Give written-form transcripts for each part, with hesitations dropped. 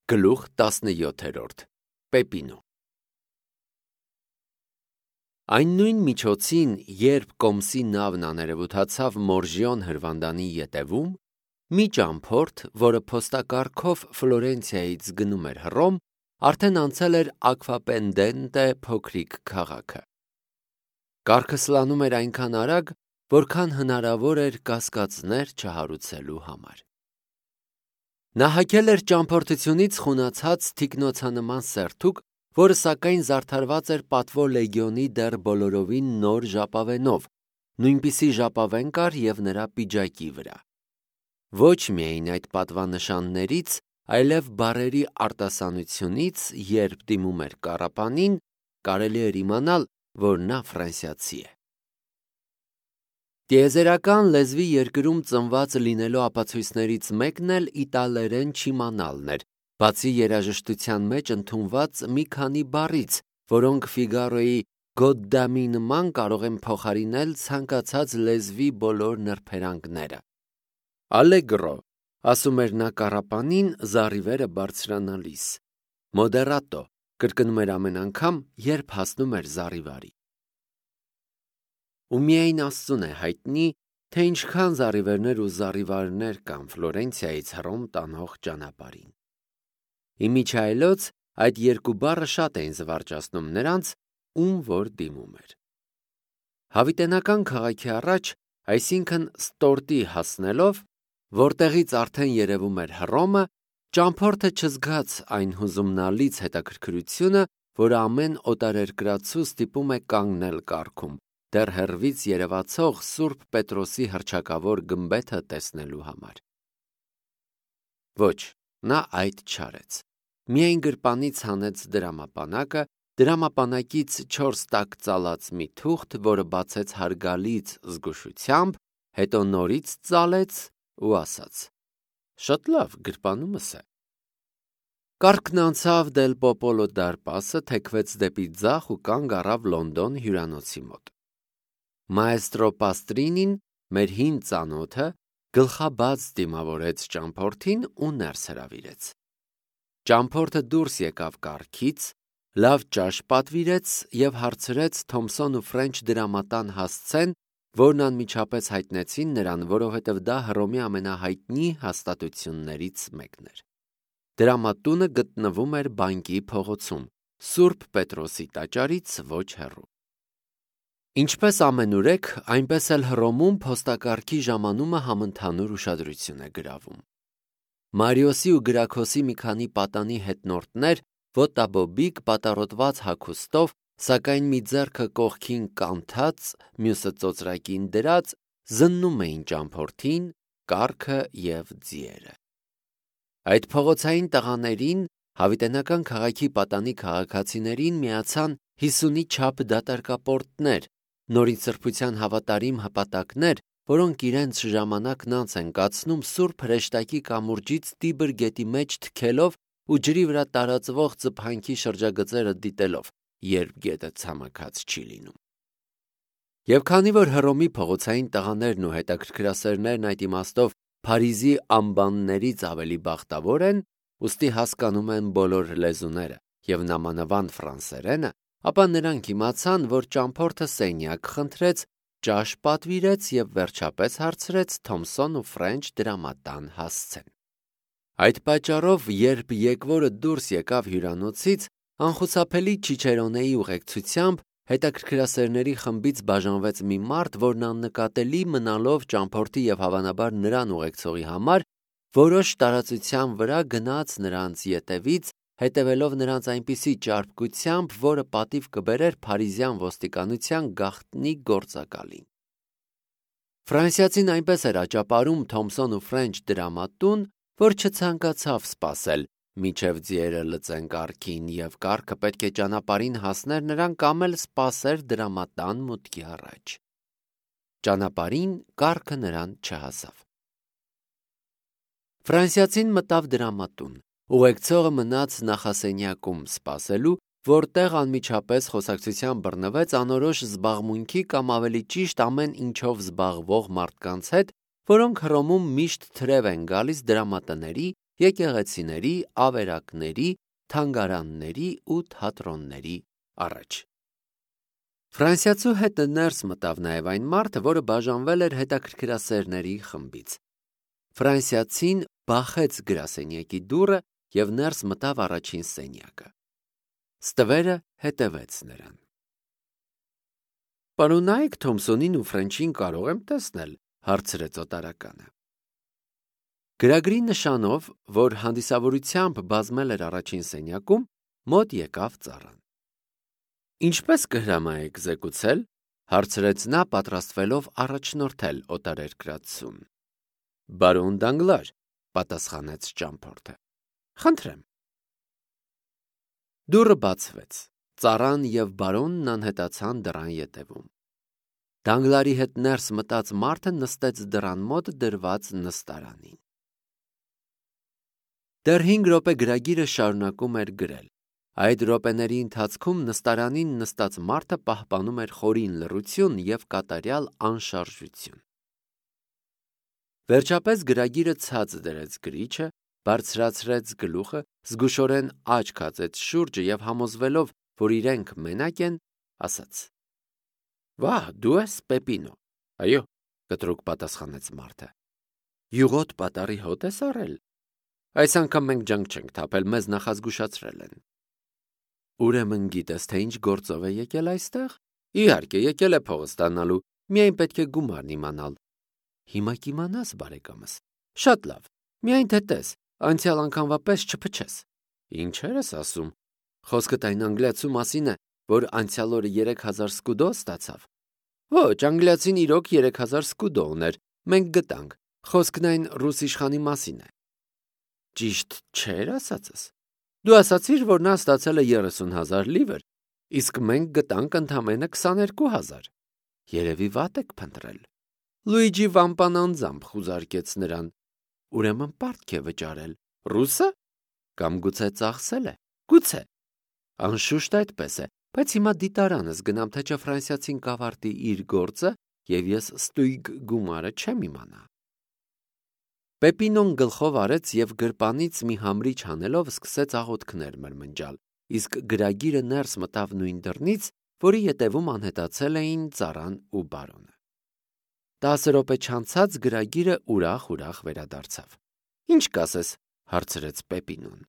Գլուխ 17 Պեպինո Այն նույն միջոցին, երբ Կոմսի նավն աներևութացավ Մորժիոն հրվանդանի ետևում, մի ճամփորդ, որը փոստակառքով Ֆլորենցիայից գնում էր Հռոմ, արդեն անցել էր Ակվապենդենտե փոքրիկ քաղաքը։ Կառքը սլանում էր այնքան արագ, որքան հնարավոր էր կասկածներ չհարուցելու համար։ Նա հագել էր ճամփորդությունից խունացած թիկնոցանման սերթուկ, որը սակայն զարդարված էր պատվո լեգիոնի դեռ բոլորովին նոր ժապավենով, նույնպիսի ժապավեն կար և նրա պիջակի վրա։ Ոչ միայն այդ պատվանշաններից, այլև բառերի արտասանությունից, երբ դիմում էր կառապանին, կարելի էր իմանալ, որ նա ֆրանսիացի է։ Տիեզերական լեզվի երկրում ծնված լինելու ապացույցներից մեկն էլ իտալերեն չիմանալն էր, բացի երաժշտության մեջ ընդունված մի քանի բառից, որոնք Ֆիգարոյի Գոդդամի նման կարող են փոխարինել ցանկացած լեզվի բոլոր նրբերանգները։ Ալեգրո, ասում էր նա կառապանին զառիվերը բարձրանալիս։ Մոդերատո, կրկնում էր ամեն անգամ, երբ հասնում էր զառիվարի։ Ու միայն Աստծուն է հայտնի, թե ինչքան զառիվերներ ու զառիվարներ կան Ֆլորենցիայից Հռոմ տանող ճանապարհին։ Իմիջիայլոց այդ երկու բառը շատ էին զվարճացնում նրանց, ում որ դիմում էր։ Հավիտենական քաղաքի առաջ, այսինքն Ստորտի հասնելով, որտեղից արդեն երևում էր Հռոմը, ճամփորդը չզգաց այն հուզումնալից հետաքրքրությունը, որը ամեն օտարերկրացու ստիպում է կանգնել կառքում, դեռ հեռվից երևացող Սուրբ Պետրոսի հռչակավոր գմբեթը տեսնելու համար։ Ոչ, նա այդ չարեց։ Միայն գրպանից հանեց դրամապանակը, դրամապանակից 4 տակ ծալած մի թուղթ, որը բացեց հարգալից զգուշությամբ, հետո նորից ծալեց ու ասաց. «Շատ լավ, գրպանումս է»։ Կառքն անցավ Դել Պոպոլո դարպասը, թեքվեց դեպի ձախ ու կանգ առավ Լոնդոն հյուրանոցի մոտ։ Մաեստրո Պաստրինին, մեր հին ծանոթը, գլխաբաց դիմավորեց ճամփորդին ու ներս հրավիրեց։ Ճամփորդը դուրս եկավ կառքից, լավ ճաշ պատվիրեց և հարցրեց Թոմսոն ու Ֆրենչ դրամատան հասցեն, որն անմիջապես հայտնեցին նրան, որովհետև դա Հռոմի ամենահայտնի հաստատություններից մեկն էր։ Դրամատունը գտնվում էր բանկի փողոցում, Սուրբ Պետրոսի տաճարից ոչ հեռու։ Ինչպես ամենուրեք, այնպես էլ Հռոմում փոստակառքի ժամանումը համընդհանուր ուշադրություն է գրավում։ Մարիոսի ու Գրաքոսի մի քանի պատանի հետնորդներ, ոտաբոբիկ, պատառոտված հագուստով, սակայն մի ձեռքը կողքին կանթած, մյուսը ծոծրակին դրած, զննում էին ճամփորդին, կառքը և ձիերը։ Այդ փողոցային տղաներին, հավիտենական քաղաքի պատանի քաղաքացիներին միացան 50-ի չափ դատարկապորտներ, նորին սրբության հավատարիմ հպատակներ, որոնք իրենց ժամանակն անց են կացնում Սուրբ Հրեշտակի կամուրջից Տիբր գետի մեջ թքելով ու ջրի վրա տարածվող ծփանքի շրջագծերը դիտելով, երբ գետը ցամաքած չի լինում։ Եվ քանի որ Հռոմի փողոցային տղաներն ու հետաքրքրասերներն այդ իմաստով Փարիզի ամբաններից ավելի բախտավոր են, ուստի հասկանում են բոլոր լեզուները և նամանավանդ ֆրանսերենը, ապա նրանք իմացան, որ ճամփորդը սենյակ խնդրեց, ճաշ պատվիրեց և վերջապես հարցրեց Թոմսոն ու Ֆրենչ դրամատան հասցեն։ Այդ պատճառով, երբ եկվորը դուրս եկավ հյուրանոցից, անխուսափելի Չիչերոնեի ուղեկցությամբ հետաքրքրասերների խմբից բաժանվեց մի մարդ, որն աննկատելի մնալով ճամփորդի և հավանաբար նրան ուղեկցողի համար, որոշ տարածության վրա գնաց նրանց ետևից, հետևելով նրանց այնպիսի ճարպկությամբ, որը պատիվ կբերեր փարիզյան ոստիկանության գաղտնի գործակալին։ Ֆրանսիացին այնպես էր աճապարում Թոմսոն ու Ֆրենչ դրամատուն, որ չցանկացավ սպասել, մինչև ձիերը լծեն կառքին, և կառքը պետք է ճանապարհին հասներ նրան կամ էլ սպասեր դրամատան մուտքի առաջ։ Ճանապարհին կառքը նրան չհասավ։ Ֆրանսիացին մտավ դրամատուն, ուղեկցողը մնաց նախասենյակում սպասելու, որտեղ անմիջապես խոսակցության բռնվեց անորոշ զբաղմունքի կամ ավելի ճիշտ ամեն ինչով զբաղվող մարդկանց հետ, որոնք Հռոմում միշտ թրև են գալիս դրամատների եկեղեցիների, ավերակների, թանգարանների ու թատրոնների առաջ։ Ֆրանսիացու հետը ներս մտավ նաև այն մարդը, որը բաժանվել էր հետաքրքրասերների խմբից։ Ֆրանսիացին բախեց գրասենյակի դուռը և ներս մտավ առաջին սենյակը։ Ստվերը հետևեց նրան։ «Պարոնայք Թոմսոնին ու Ֆրենչին կարող եմ տեսնել», հարցրեց օտարականը։ Գրագրի նշանով, որ հանդիսավորությամբ բազմել էր առաջին սենյակում, մոտ եկավ ծառան։ «Ինչպես կհրամայեք զեկուցել», հարցրեց նա, պատրաստվելով առաջնորդել օտարերկրացուն։ «Բարոն Դանգլար», պատասխանեց ճամփորդը։ «Խնդրեմ»։ Դուռը բացվեց։ Ծառան և բարոնն անհետացան դռան ետևում։ Դանգլարի հետ ներս մտած մարդը նստեց դռան մոտ դրված նստարանին։ Դեռ 5 րոպե գրագիրը շարունակում էր գրել։ Այդ րոպեների ընթացքում նստարանին նստած մարդը պահպանում էր խորին լռություն և կատարյալ անշարժություն։ Վերջապես գրագիրը ցած դրեց գրիչը, բարձրացրեց գլուխը, զգուշորեն աչք հացեց շուրջը և համոզվելով, որ իրենք մենակ են, ասաց. «Վահ, դու ես Պեպինո»։ «Այո», կտրուկ պատասխանեց մարդը։ «Յուղոտ պատառի հոտ ես առել»։ «Այս անգամ մենք ջանք չենք թափել, մեզ նախազգուշացրել են»։ «Ուրեմն գիտես, թե ինչ գործով է եկել այստեղ»։ «Իհարկե, եկել է փողը ստանալու, միայն պետք է գումարն իմանալ»։ «Հիմա կիմանաս, բարեկամս»։ «Շատ լավ, միայն թե տես, անցյալ անգամվա պես չփչես»։ «Ինչեր ես ասում»։ «Խոսքդ այն անգլիացու մասին է, որ անցյալ օրը 3000 սկուդո ստացավ»։ «Ոչ, անգլիացին իրոք 3000 սկուդո ուներ, մենք գտանք, խոսքն այն ռուս իշխանի մասին է»։ «Ճիշտ չէր ասածս»։ «Դու ասացիր, որ նա ստացել է 30,000 լիվր, իսկ մենք գտանք ընդամենը 22,000։ Երևի վատ եք փնտրել»։ Լուիջի Վամպան անձամբ խուզարկեց նրան։ «Ուրեմն պարտք է վճարել»։ «Ռուսը»։ «Կամ գուցե ծախսել է»։ «Գուցե»։ «Անշուշտ այդպես է, բայց հիմա դիտարանս գնամ, թե չէ ֆրանսիացին կավարտի իր գործը, և ես ստույգ գումարը չեմ իմանա»։ Պեպինոն գլխով արեց և գրպանից մի համրիչ հանելով սկսեց աղոթքներ մրմնջալ, իսկ գրագիրը ներս մտավ նույն դռնից, որի ետևում անհետացել էին ծառան ու բարոնը։ 10 րոպե չանցած գրագիրը ուրախ վերադարձավ։ «Ինչ կասես», հարցրեց Պեպինոն։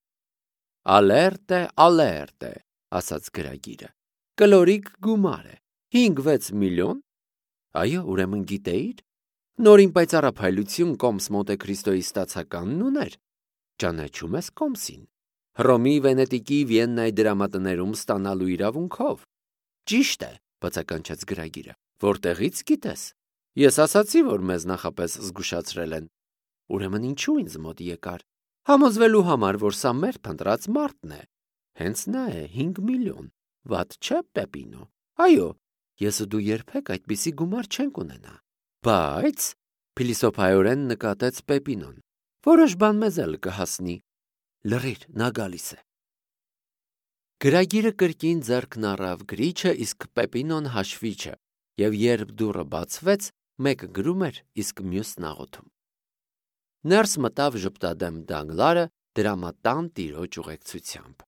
«Ալերտե, ալերտե», ասաց գրագիրը։ «Կլորիկ գումար է։ 5-6 միլիոն»։ «Այո, ուրեմն գիտեիր»։ «Նորին պայծառափայլություն Կոմս Մոնտե Քրիստոյի ստացականն ուներ»։ «Ճանաչում ես Կոմսին»։ «Հռոմի, Վենետիկի, Վիեննայի դրամատներում ստանալու իրավունքով»։ «Ճիշտ է», բացականչեց գրագիրը։ «Որտեղից գիտես»։ «Ես ասացի, որ մեզ նախապես զգուշացրել են»։ «Ուրեմն ինչու ինձ մոտ եկար»։ «Համոզվելու համար, որ սա մեր փնտրած մարդն է»։ «Հենց նա է, 5 միլիոն։ Վատ չէ, Պեպինո»։ «Այո, ես ու դու երբեք այդպիսի գումար չենք ունենա»։ «Բայց», փիլիսոփայորեն նկատեց Պեպինոն, «որոշ բան մեզ էլ կհասնի»։ «Լռիր, նա գալիս է»։ Գրագիրը կրկին ձեռքն առավ գրիչը, իսկ Պեպինոն հաշվիչը, և երբ դուռը բացվեց, մեկը գրում էր, իսկ մյուսն աղոթում։ Ներս մտավ ժպտադեմ Դանգլարը դրամատան տիրոջ ուղեկցությամբ։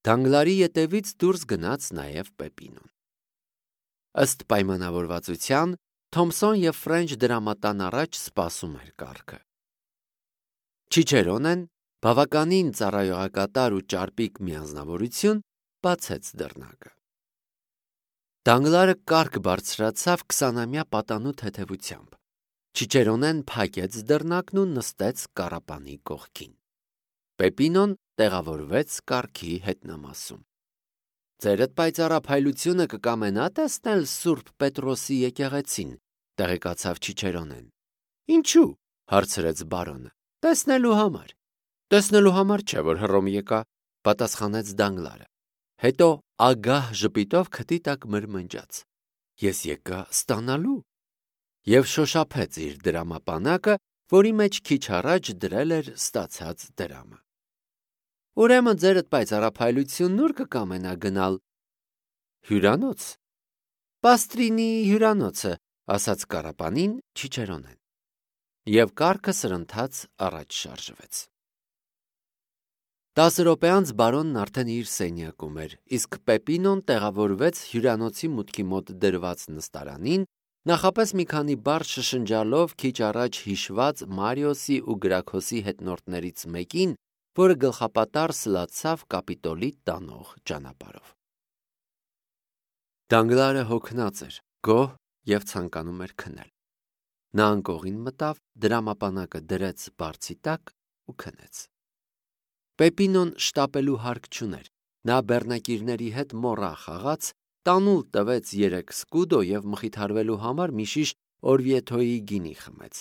Դանգլարի ետևից դուրս գնաց նաև Պեպինոն։ Ըստ պայմանավորվածության Թոմսոն և Ֆրենչ դրամատան առաջ սպասում էր կառքը։ Չիչերոնեն, բավականին ծառայողակատար ու ճարպիկ մի անձնավորություն, բացեց դռնակը։ Դանգլարը կառք բարձրացավ 20-ամյա պատանու թեթևությամբ։ Չիչերոնեն փակեց դռնակն ու նստեց կառապանի կողքին։ Պեպինոն տեղավորվեց կառքի հետնամասում։ «Ձերդ պայծառափայլությունը կկամենա տեսնել Սուրբ Պետրոսի եկեղեցին», տեղեկացավ Չիչերոնեն։ «Ինչու՞», հարցրեց բարոնը։ «Տեսնելու համար»։ «Տեսնելու համար չէ, որ Հռոմ եկա», պատասխանեց Դանգլարը։ Հետո ագահ ժպիտով քթի տակ մրմնջաց. «Ես եկա ստանալու» և շոշափեց իր դրամապանակը, որի մեջ քիչ առաջ դրել էր ստացած դրամը։ «Ուրեմն ձերդ պայծառափայլությունն ուր կկամենա գնալ»։ «Հյուրանոց»։ «Պաստրինի հյուրանոցը», ասաց կառապանին Չիչերոնեն։ Եվ կառքը սրընթաց առաջ շարժվեց։ 10 րոպե անց բարոնն արդեն իր սենյակում էր, իսկ Պեպինոն տեղավորվեց հյուրանոցի մուտքի մոտ դրված նստարանին, նախապես մի քանի բառ շշնջալով քիչ առաջ հիշված Մարիոսի ու Գրաքոսի հետնորդներից մեկին, որը գլխապատառ սլացավ Կապիտոլի տանող ճանապարհով։ Դանգլարը հոգնած էր, գոհ և ցանկանում էր քնել։ Նա անկողին մտավ, դրամապանակը դրեց բարձի տակ ու քնեց։ Պեպինոն շտապելու հարկ չուներ, նա բեռնակիրների հետ մոռա խաղաց, տանուլ տվեց 3 սկուդո և մխիթարվելու համար մի շիշ օրվիեթոյի գինի խմեց։